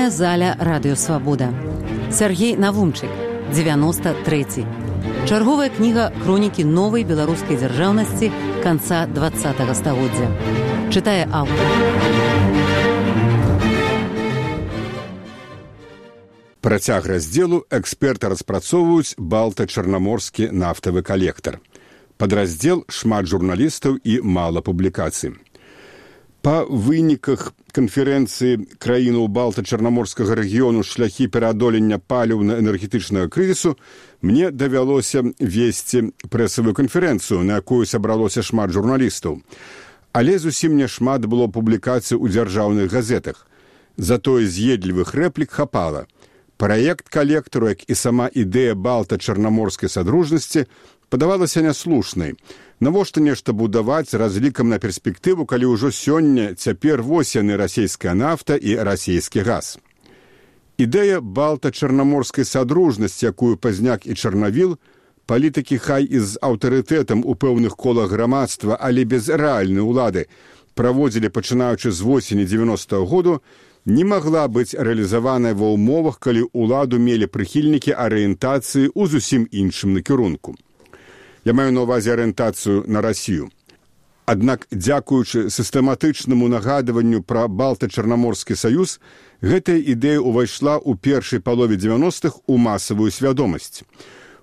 Чытальная заля радыёвабода. Сяргей Навумчык, 93. Чарговая кніга хронікі новай беларускай дзяржаўнасці канца 20-го стагоддзя. Чытае аўтар. Працяг раздзелу эксперты распрацоўваюць балта-чарнаморскі нафтавы калектар. Падраздзел шмат журналістаў і мала публікацый. Па выніках канферэнцыі краінаў балта-чарнаморскага рэгіёну шляхі пераадолення паліўна-энергетычнага крызісу мне давялося весці прэсавую канферэнцыю, на якую сабралося шмат журналістаў. Але зусім не шмат было публікацый у дзяржаўных газетах. Затое з'едлівых рэплік хапала. Праект калектару, як і сама ідэя балта-чарнаморскай садружнасці, падавалася няслушнай. Навошта нешта будаваць з разлікам на перспектыву, калі ўжо сёння цяпер вось яны расійская нафта і расійскі газ. Ідэя балта-чарнаморскай садружнасці, якую Пазняк і Чарнавіл, палітыкі хай і з аўтарытэтам у пэўных колах грамадства, але без рэальнай улады, праводзілі пачынаючы з восені 90-го году, не магла быць рэалізаваная ва ўмовах, калі ўладу мелі прыхільнікі арыентацыі ў зусім іншым накірунку. Я маю на ўвазе арыентацыю на Расію. Аднак, дзякуючы сістэматычнаму нагадыванню пра балта-чарнаморскі саюз, гэтая ідэя ўвайшла ў першай палове 90-х у масавую свядомасць.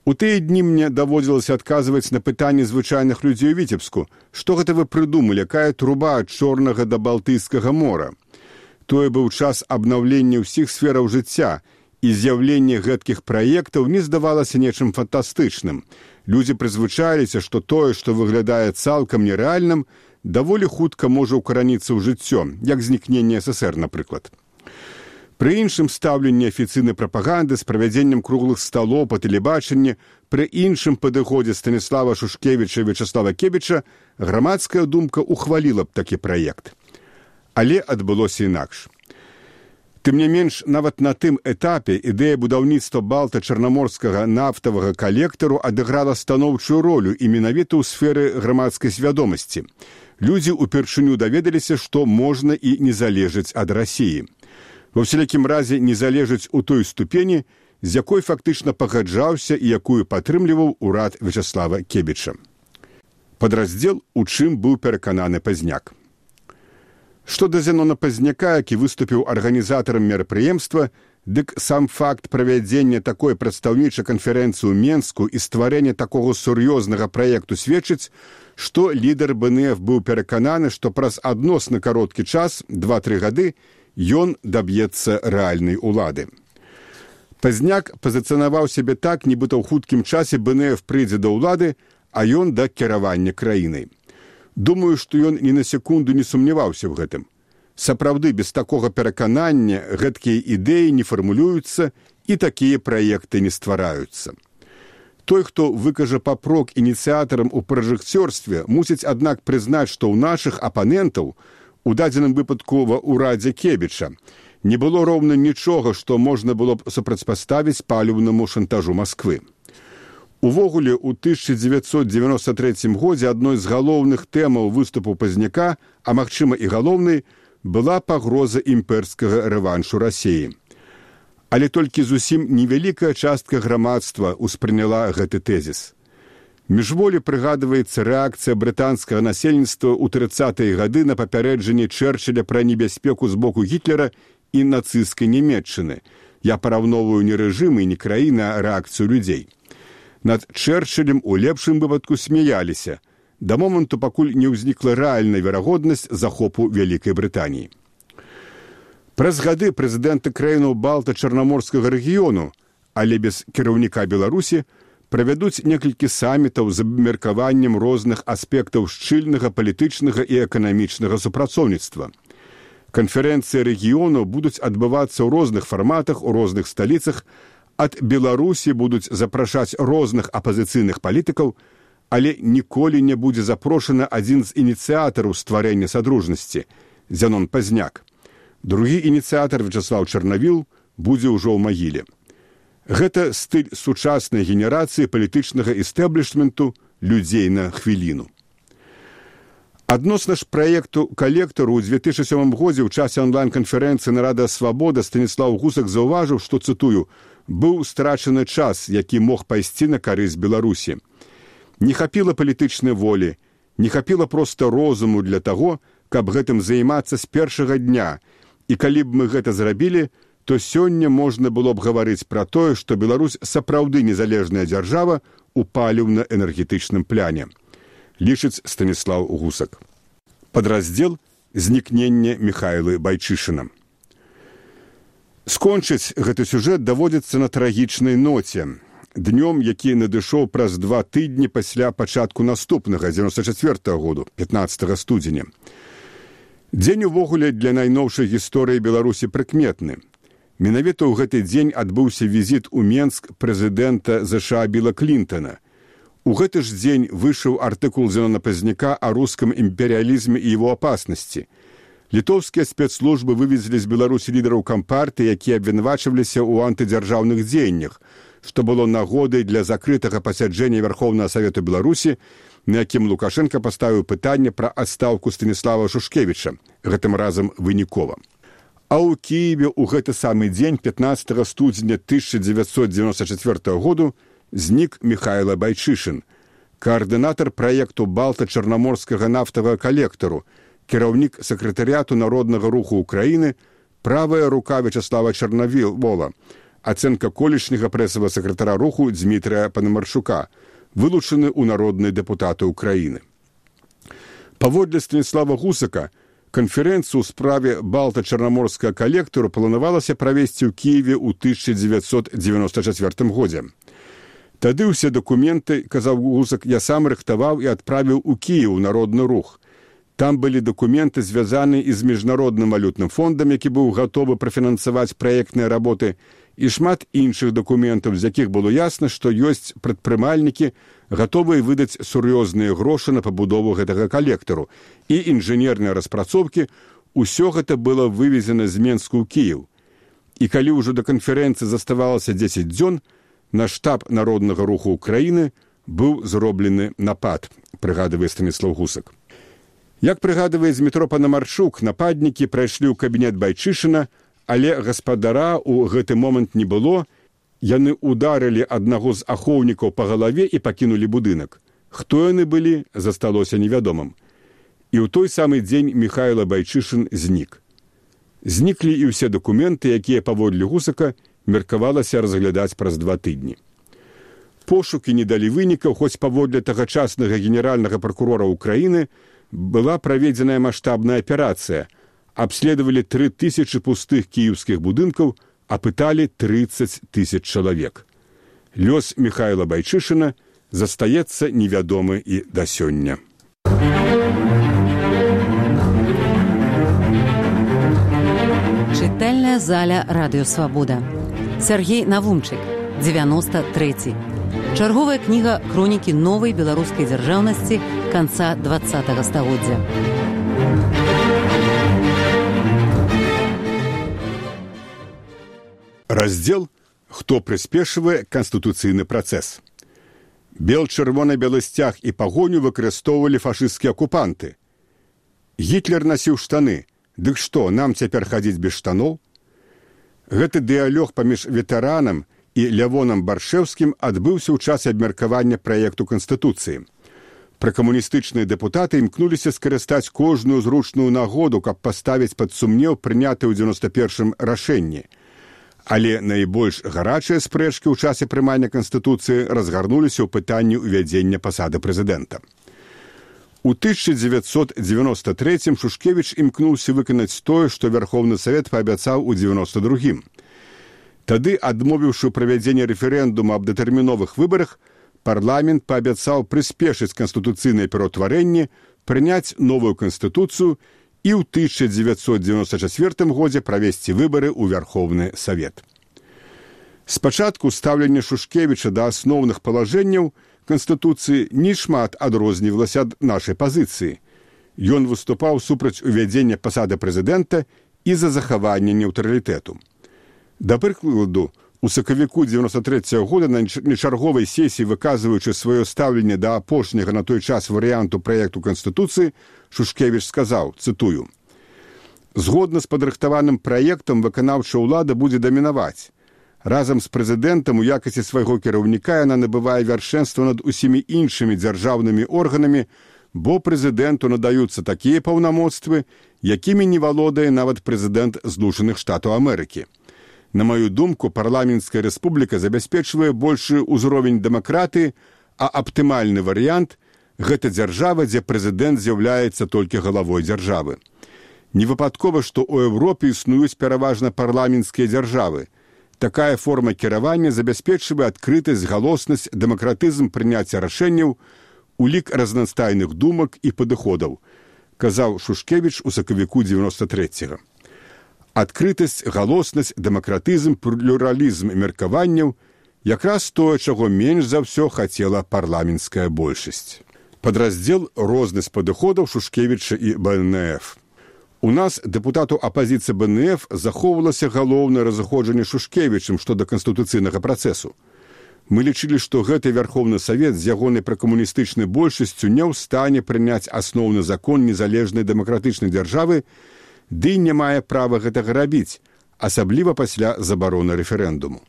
У тыя дні мне даводзілася адказваць на пытанні звычайных людзей у Віцебску. Што гэта вы прыдумалі, якая труба ад Чорнага да Балтыйскага мора? Тое быў час абнаўлення ўсіх сфераў жыцця, і з'яўленне гэткіх праектаў не здавалася нечым фантастычным. Людзі прызвычаіліся, што тое, што выглядае цалкам нерэальным, даволі хутка можа ўкараніцца ў жыццё, як знікненне ССР, напрыклад. Пры іншым стаўленні афіцыйнай прапаганды з правядзеннем круглых сталоў па тэлебачанні, пры іншым падыходзе Станіслава Шушкевіча і Вячаслава Кебіча грамадская думка ухваліла б такі праект. Але адбылося інакш. Тым не менш, нават на тым этапе ідэя будаўніцтва балта-чарнаморскага нафтавага калектару адыграла станоўчую ролю і менавіта ў сферы грамадскай свядомасці. Людзі ўпершыню даведаліся, што можна і не залежыць ад Расіі. Ва ўсялякім разе не залежыць у той ступені, з якой фактычна пагаджаўся і якую падтрымліваў урад Вячаслава Кебіча. Падраздзел, у чым быў перакананы Пазняк. Што да Зенона Пазняка, які выступіў арганізатарам мерапрыемства, дык сам факт правядзення такой прадстаўнічай канферэнцыі ў Менску і стварэння такога сур'ёзнага праекту сведчыць, што лідар БНФ быў перакананы, што праз адносна кароткі час, 2-3 гады, ён даб'ецца рэальнай улады. Пазняк пазіцыянаваў сябе так, нібыта ў хуткім часе БНФ прыйдзе да ўлады, а ён да кіравання краінай. Думаю, што ён ні на секунду не сумняваўся ў гэтым. Сапраўды, без такога пераканання гэткія ідэі не фармулююцца і такія праекты не ствараюцца. Той, хто выкажа папрок ініцыятарам у пражэкцёрстве, мусіць, аднак, прызнаць, што ў нашых апанентаў, у дадзеным выпадку ва ўрадзе Кебіча, не было роўна нічога, што можна было б супрацьпаставіць паліўнаму шантажу Масквы. Увогуле, у 1993 годзе адной з галоўных тэмаў выступу Пазняка, а магчыма і галоўнай, была пагроза імперскага рэваншу Расіі. Але толькі зусім невялікая частка грамадства ўспрыняла гэты тэзіс. Міжволі прыгадваецца рэакцыя брытанскага насельніцтва ў 30-е гады на папярэджанне Чэрчыля пра небяспеку з боку Гітлера і нацысцкай Нямецчыны. Я параўноўваю не рэжым і не краіны, а рэакцыю людзей. Над Чэрчылем у лепшым выпадку смяяліся, да моманту, пакуль не ўзнікла рэальная верагоднасць захопу Вялікай Брытаніі. Праз гады прэзідэнты краінаў балта-чарнаморскага рэгіёну, але без кіраўніка Беларусі, правядуць некалькі самітаў з абмеркаваннем розных аспектаў шчыльнага палітычнага і эканамічнага супрацоўніцтва. Канферэнцыі рэгіёну будуць адбывацца ў розных фарматах, у розных сталіцах. Ад Беларусі будуць запрашаць розных апазіцыйных палітыкаў, але ніколі не будзе запрошаны адзін з ініцыятараў стварэння садружнасці – Зенон Пазняк. Другі ініцыятар Вячаслаў Чарнавіл будзе ўжо ў магіле. Гэта стыль сучаснай генерацыі палітычнага істэблішменту людзей на хвіліну. Адносна ж праекту калектару ў 2007 годзе ў часе онлайн-канферэнцыі на Радыё Свабода Станіслаў Гусак заўважыў, што, цытую, «быў страчаны час, які мог пайсці на карысць Беларусі. Не хапіла палітычнай волі, не хапіла проста розуму для таго, каб гэтым займацца з першага дня. І калі б мы гэта зрабілі, то сёння можна было б гаварыць пра тое, што Беларусь сапраўды незалежная дзяржава ў паліўна-энергетычным пляне», лічыць Станіслаў Гусак. Падраздзел «Знікнення Міхайлы Байчышына». Скончыць гэты сюжэт даводзіцца на трагічнай ноце. Днём, які надышоў праз 2 тыдні пасля пачатку наступнага, 94-го году, 15 студзеня. Дзень увогуле для найноўшай гісторыі Беларусі прыкметны. Менавіта ў гэты дзень адбыўся візіт у Менск прэзідэнта ЗША Білла Клінтона. У гэты ж дзень выйшаў артыкул Зенона Пазняка о руском империализме и его опасности. Літоўскія спецслужбы вывезлі з Беларусі лідараў кампартыі, якія абвінавачваліся ў антыдзяржаўных дзеяннях, што было нагодай для закрытага пасяджэння Верховнага Савету Беларусі, на якім Лукашенко паставіў пытанне пра адстаўку Станіслава Шушкевіча, гэтым разам вынікова. А ў Кіеве ў гэты самы дзень, 15 студзеня 1994 году, знік Міхайла Байчышын, каардынатар праекту Балта-Чарнаморскага нафтавага калектару, кіраўнік сакратарыяту Народнага руху Украіны, правая рука Вячаслава Чарнавола, ацэнка колішняга прэсавага сакратара руху Дзмітрыя Панамарчука, вылучаны ў народныя дэпутаты Украіны. Паводле Станіслава Гусака, канферэнцыю ў справе Балта-Чарнаморскага калектару планавалася правесці ў Кіеве ў 1994 годзе. Тады ўсе дакументы, казаў Гусак, я сам рыхтаваў і адправіў у Кіеў народны рух. Там былі дакументы, звязаныя і з міжнародным валютным фондам, які быў гатовы прафінансаваць праектныя работы, і шмат іншых дакументаў, з якіх было ясна, што ёсць прадпрымальнікі, гатовыя выдаць сур'ёзныя грошы на пабудову гэтага калектару. І інжынерныя распрацоўкі, усё гэта было вывезена з Менску ў Кіеў. І калі ўжо да канферэнцыі заставалася 10 дзён, на штаб Народнага руху Украіны быў зроблены напад, прыгадвае Станіслаў Гусак. Як прыгадвае Дзмітро Панамарчук, нападнікі прайшлі ў кабінет Байчышына, але гаспадара ў гэты момант не было, яны ударылі аднаго з ахоўнікаў па галаве і пакінулі будынак. Хто яны былі, засталося невядомым. І ў той самы дзень Міхайла Байчышын знік. Зніклі і ўсе дакументы, якія паводле Гусака меркавалася разглядаць праз 2 тыдні. Пошукі не далі вынікаў, хоць паводле тагачаснага генеральнага пракурора Украіны была праведзеная маштабная аперацыя. Абследавалі 3000 пустых кіеўскіх будынкаў, апыталі 30 000 чалавек. Лёс Міхайла Байчышына застаецца невядомы і да сёння. Чытальная заля Радыё Свабода. Сергей Навумчык, 93. Чарговая кніга хронікі новай беларускай дзяржаўнасці канца 20-го стагоддзя. Раздзел «Хто прыспешвае канстытуцыйны працэс». Бел-чырвона-белы сцяг і пагоню выкарыстоўвалі фашысцкія акупанты. Гітлер насіў штаны. Дык што, нам цяпер хадзіць без штаноў? Гэты дыялог паміж ветэранам і Лявонам Баршэўскім адбыўся ў час абмеркавання праекту Канстытуцыі. Пракамуністычныя дэпутаты імкнуліся скарыстаць кожную зручную нагоду, каб паставіць пад сумнеў прынятыя ў 91-м рашэнні. Але найбольш гарачыя спрэчкі ў часе прымання Канстытуцыі разгарнуліся ў пытанні ўвядзення пасады прэзідэнта. У 1993-м Шушкевіч імкнуўся выканаць тое, што Верховны Савет паабяцаў у 92-м. Тады, адмовіўшы правядзенне рэферэндума аб датэрміновых выбарах, парламент паабяцаў прыспешыць канстытуцыйнае пераўтварэнне, прыняць новую канстытуцыю і ў 1994 годзе правесці выбары ў Верховны Савет. Спачатку стаўленне Шушкевіча да асноўных палажэнняў Канстытуцыі не шмат адрознівалася ад нашай пазіцыі. Ён выступаў супраць увядзення пасады прэзідэнта і за захаванне нейтралітэту. Да прыкладу, У сакавіку 93-го года на нечарговай сесіі, выказваючы сваё стаўленне да апошняга на той час варыянту праекту Канстытуцыі, Шушкевіч сказаў, цытую: «Згодна з падрыхтаваным праектам выканаўчая ўлада будзе дамінаваць. Разам з прэзідэнтам у якасці свайго кіраўніка яна набывае вяршэнства над усімі іншымі дзяржаўнымі органамі, бо прэзідэнту надаюцца такія паўнамоцтвы, якімі не валодае нават прэзідэнт Злучаных Штатаў Амерыкі. На маю думку, парламенцкая рэспубліка забяспечвае большы ўзровень дэмакратыі, а аптымальны варыянт – гэта дзяржава, дзе прэзідэнт з'яўляецца толькі галавой дзяржавы. Невыпадкова, што ў Еўропе існуюць пераважна парламенцкія дзяржавы. Такая форма кіравання забяспечвае адкрытасць, галоснасць, дэмакратызм прыняцця рашэнняў, улік разнастайных думак і падыходаў, казаў Шушкевіч у сакавіку 93-го. Адкрытасць, галоснасць, дэмакратызм, плюралізм меркаванняў – якраз тое, чаго менш за ўсё хацела парламенцкая большасць. Падраздзел розны з падыходаў Шушкевіча і БНФ. У нас, дэпутату апазіцыі БНФ, захоўвалася галоўнае разыходжанне Шушкевічам што да канстытуцыйнага працэсу. Мы лічылі, што гэты Вярхоўны Савет з ягонай пракамуністычнай большасцю не ў стане прыняць асноўны закон незалежнай дэмакратычнай дзяржавы, ды не мае права гэтага рабіць, асабліва пасля забароны рэферэндуму.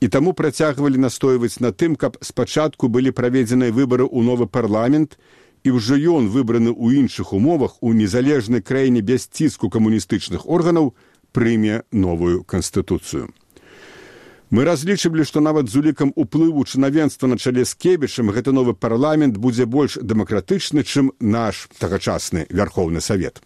І таму працягвалі настойваць на тым, каб спачатку былі праведзеныя выбары ў новы парламент, і ўжо ён, выбраны ў іншых умовах, у незалежнай краіне без ціску камуністычных органаў, прыме новую канстытуцыю. Мы разлічылі, што нават з улікам уплыву чынавенства на чале з Кебічам гэты новы парламент будзе больш дэмакратычны, чым наш тагачасны Вярхоўны Савет.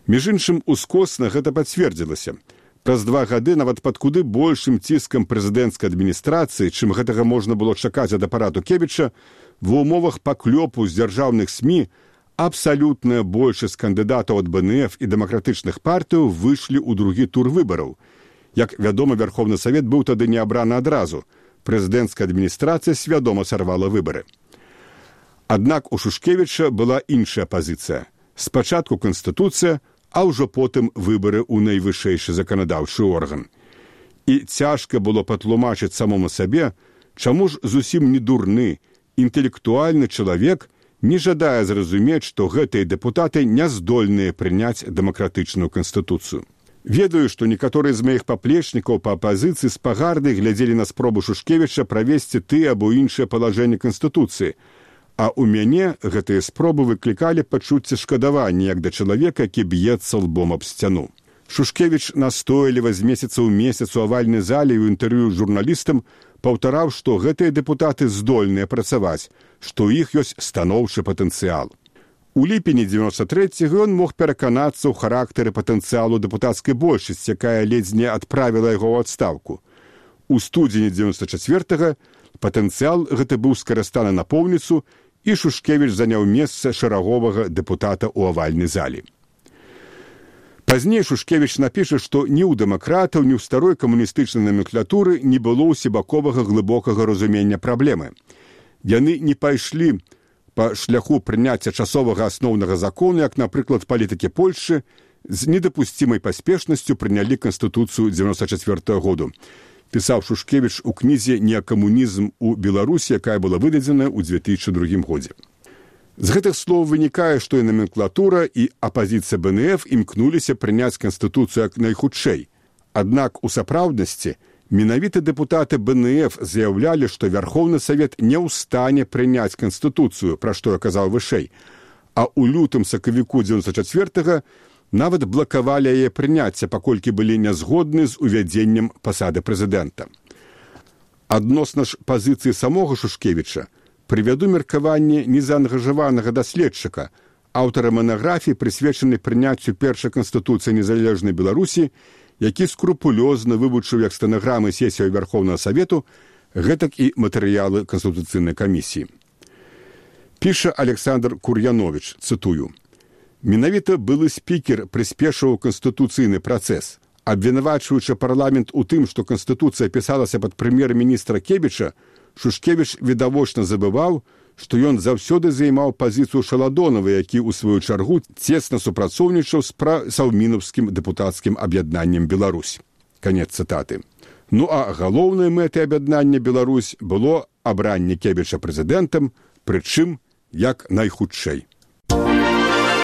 Між іншым, ускосна гэта пацвердзілася. Праз 2 гады нават пад куды большым ціскам прэзідэнцкай адміністрацыі, чым гэтага можна было чакаць ад апарату Кебіча, ва ўмовах паклёпу з дзяржаўных СМІ абсалютная большасць кандыдатаў ад БНФ і дэмакратычных партыяў выйшлі ў другі тур выбараў. Як вядома, Вярхоўны Савет быў тады не абраны адразу. Прэзідэнцкая адміністрацыя свядома сарвала выбары. Аднак у Шушкевіча была іншая пазіцыя. Спачатку Канстытуцыя, а ўжо потым выбары ў найвышэйшы заканадаўчы орган. І цяжка было патлумачыць самому сабе, чаму ж зусім не дурны, інтэлектуальны чалавек не жадае зразумець, што гэтыя дэпутаты не здольныя прыняць дэмакратычную канстытуцыю. Ведаю, што некаторыя з маіх паплечнікаў па апазіцыі з пагарды глядзелі на спробу Шушкевіча правесці тыя або іншыя палажэнні канстытуцыі, а ў мяне гэтыя спробы выклікалі пачуцце шкадавання, як да чалавека, які б'ецца лбом аб сцяну. Шушкевіч настойліва з месяца ў месяц у авальнай зале ў інтэрв'ю журналістам паўтараў, што гэтыя дэпутаты здольныя працаваць, што ў іх ёсць станоўчы патэнцыял. У ліпені 93-го ён мог пераканацца ў характары патэнцыялу дэпутацкай большасці, якая ледзь не адправіла яго ў адстаўку. У студзені 94-го патэнцыял гэты быў скарыстаны напоўніцу, і Шушкевіч заняў месца шараговага дэпутата ў авальнай зале. Пазней Шушкевіч напіша, што ні ў дэмакратаў, ні ў старой камуністычнай номенклатуры не было ўсебаковага глыбокага разумення праблемы. Яны не пайшлі па шляху прыняцця часовага асноўнага закону, як, напрыклад, палітыкі Польшчы з недапусцімай паспешнасцю прынялі Канстытуцыю 94-го году. Пісаў Шушкевіч у кнізе «Неакамунізм у Беларусі», якая была выдадзена ў 2002 годзе. З гэтых слоў вынікае, што і номенклатура, і апазіцыя БНФ імкнуліся прыняць Канстытуцыю як найхутчэй. Аднак у сапраўднасці менавіта дэпутаты БНФ заяўлялі, што Вярхоўны Савет не ў стане прыняць Канстытуцыю, пра што я казаў вышэй, а ў лютым-сакавіку 94-го нават блакавалі яе прыняцце, паколькі былі нязгодны з увядзеннем пасады прэзідэнта. Адносна ж пазіцыі самога Шушкевіча прывяду меркаванне незаангажаванага даследчыка, аўтара манаграфіі, прысвечанай прыняццю першай канстытуцыі незалежнай Беларусі, які скрупулёзна вывучыў як стэнаграмы сесіяў Вярхоўнага Савету, гэтак і матэрыялы Канстытуцыйнай камісіі. Піша Александр Кур'яновіч, цытую: «Менавіта былы спікер прыспешыў канстытуцыйны працэс. Абвінавачваючы парламент у тым, што Канстытуцыя пісалася пад прэм'ер-міністра Кебіча, Шушкевіч відавочна забываў, што ён заўсёды займаў пазіцыю Шаладонова, які, у сваю чаргу, цесна супрацоўнічаў з саўмінаўскім дэпутацкім аб'яднаннем Беларусь». Канец цытаты. Ну а галоўнай мэтай аб'яднання Беларусь было абранне Кебіча прэзідэнтам, прычым як найхутчэй.